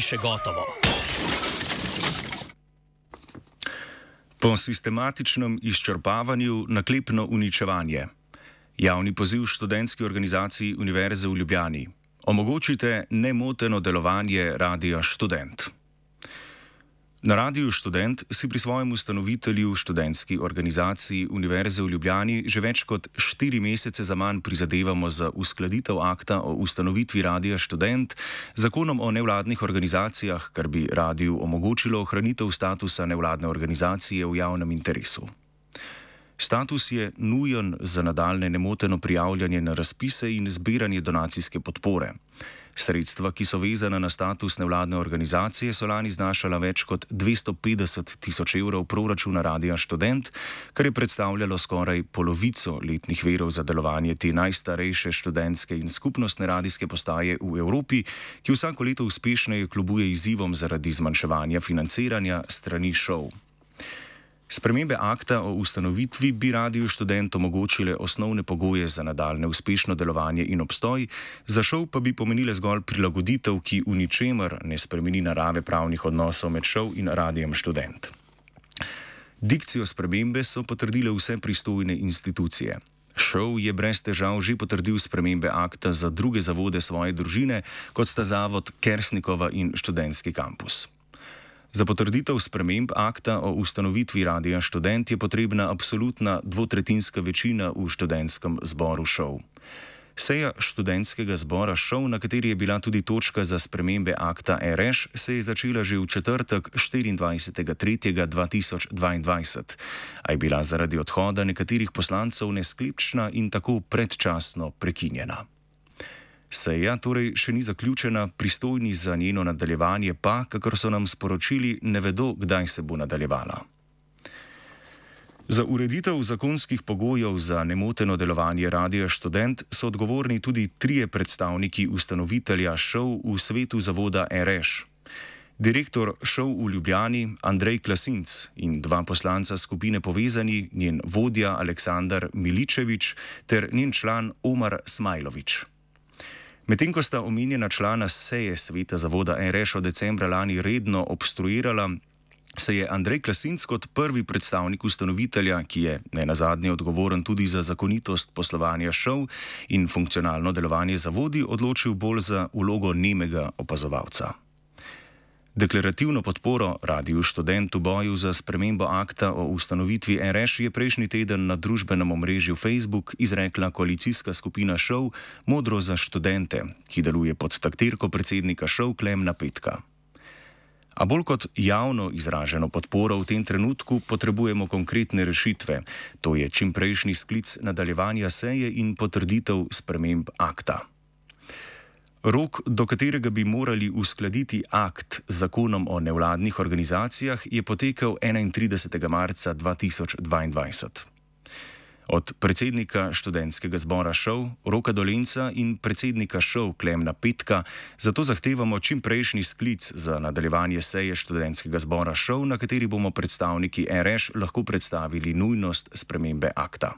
še gotovo. Po sistematičnem izčrpavanju naklepno uničevanje. Javni poziv študentski organizaciji Univerze v Ljubljani. Omogočite nemoteno delovanje Radia Študent. Na Radiu Študent si pri svojem ustanovitelju študentski organizaciji Univerze v Ljubljani že več kot 4 mesece zaman prizadevamo za uskladitev akta o ustanovitvi Radia Študent z zakonom o nevladnih organizacijah, kar bi radiju omogočilo ohranitev statusa nevladne organizacije v javnem interesu. Status je nujen za nadaljne nemoteno prijavljanje na razpise in zbiranje donacijske podpore. Sredstva, ki so vezana na status nevladne organizacije, so lani znašala več kot 250 tisoč evrov proračuna Radia Študent, kar je predstavljalo skoraj polovico letnih virov za delovanje te najstarejše študentske in skupnostne radijske postaje v Evropi, ki vsako leto uspešneje kljubuje izzivom zaradi zmanjševanja financiranja strani šov. Spremembe akta o ustanovitvi bi Radiu Študent omogočile osnovne pogoje za nadaljne uspešno delovanje in obstoj, za šov pa bi pomenile zgolj prilagoditev, ki v ničemer ne spremeni narave pravnih odnosov med šov in Radijem Študent. Dikcijo spremembe so potrdile vse pristojne institucije. Šov je brez težav že potrdil spremembe akta za druge zavode svoje družine, kot sta zavod Kersnikova in študentski kampus. Za potrditev sprememb akta o ustanovitvi Radia Študent je potrebna absolutna dvotretjinska večina v študentskem zboru šov. Seja študentskega zbora šov, na kateri je bila tudi točka za spremembe akta RŠ, se je začela že v četrtek 24.3.2022, a je bila zaradi odhoda nekaterih poslancev nesklepčna in tako predčasno prekinjena. Seja torej še ni zaključena, pristojni za njeno nadaljevanje pa, kakor so nam sporočili, ne vedo, kdaj se bo nadaljevala. Za ureditev zakonskih pogojev za nemoteno delovanje Radia Študent so odgovorni tudi 3 predstavniki ustanovitelja šov v svetu zavoda RŠ. Direktor šov v Ljubljani Andrej Klasinc in 2 poslanca skupine Povezani, njen vodja Aleksandar Miličevič ter njen član Omar Smajlović. Medtem ko sta omenjena člana seje sveta zavoda RŠ od decembra lani redno obstruirala, se je Andrej Klasinc kot prvi predstavnik ustanovitelja, ki je nenazadnje odgovoren tudi za zakonitost poslovanja šov in funkcionalno delovanje zavodi, odločil bolj za vlogo nemega opazovalca. Deklarativno podporo Radiu Študent v boju za spremembo akta o ustanovitvi RŠ je prejšnji teden na družbenem omrežju Facebook izrekla koalicijska skupina šov Modro za študente, ki deluje pod taktirko predsednika šov Klemna Petka. A bolj kot javno izraženo podporo v tem trenutku potrebujemo konkretne rešitve, to je čimprejšnji sklic nadaljevanja seje in potrditev sprememb akta. Rok, do katerega bi morali uskladiti akt z zakonom o nevladnih organizacijah, je potekel 31. marca 2022. Od predsednika študentskega zbora šov Roka Dolenca in predsednika šov Klemna Petka zato zahtevamo čimprejšnji sklic za nadaljevanje seje študentskega zbora šov, na kateri bomo predstavniki RŠ lahko predstavili nujnost spremembe akta.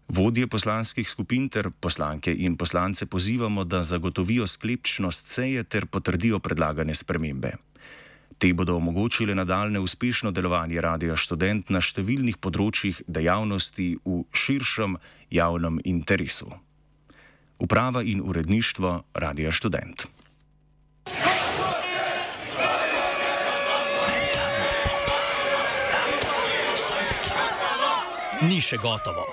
Vodje poslanskih skupin ter poslanke in poslance pozivamo, da zagotovijo sklepčnost seje ter potrdijo predlagane spremembe. Te bodo omogočile nadaljne uspešno delovanje Radia Študent na številnih področjih dejavnosti v širšem javnem interesu. Uprava in uredništvo Radia Študent. Ni še gotovo.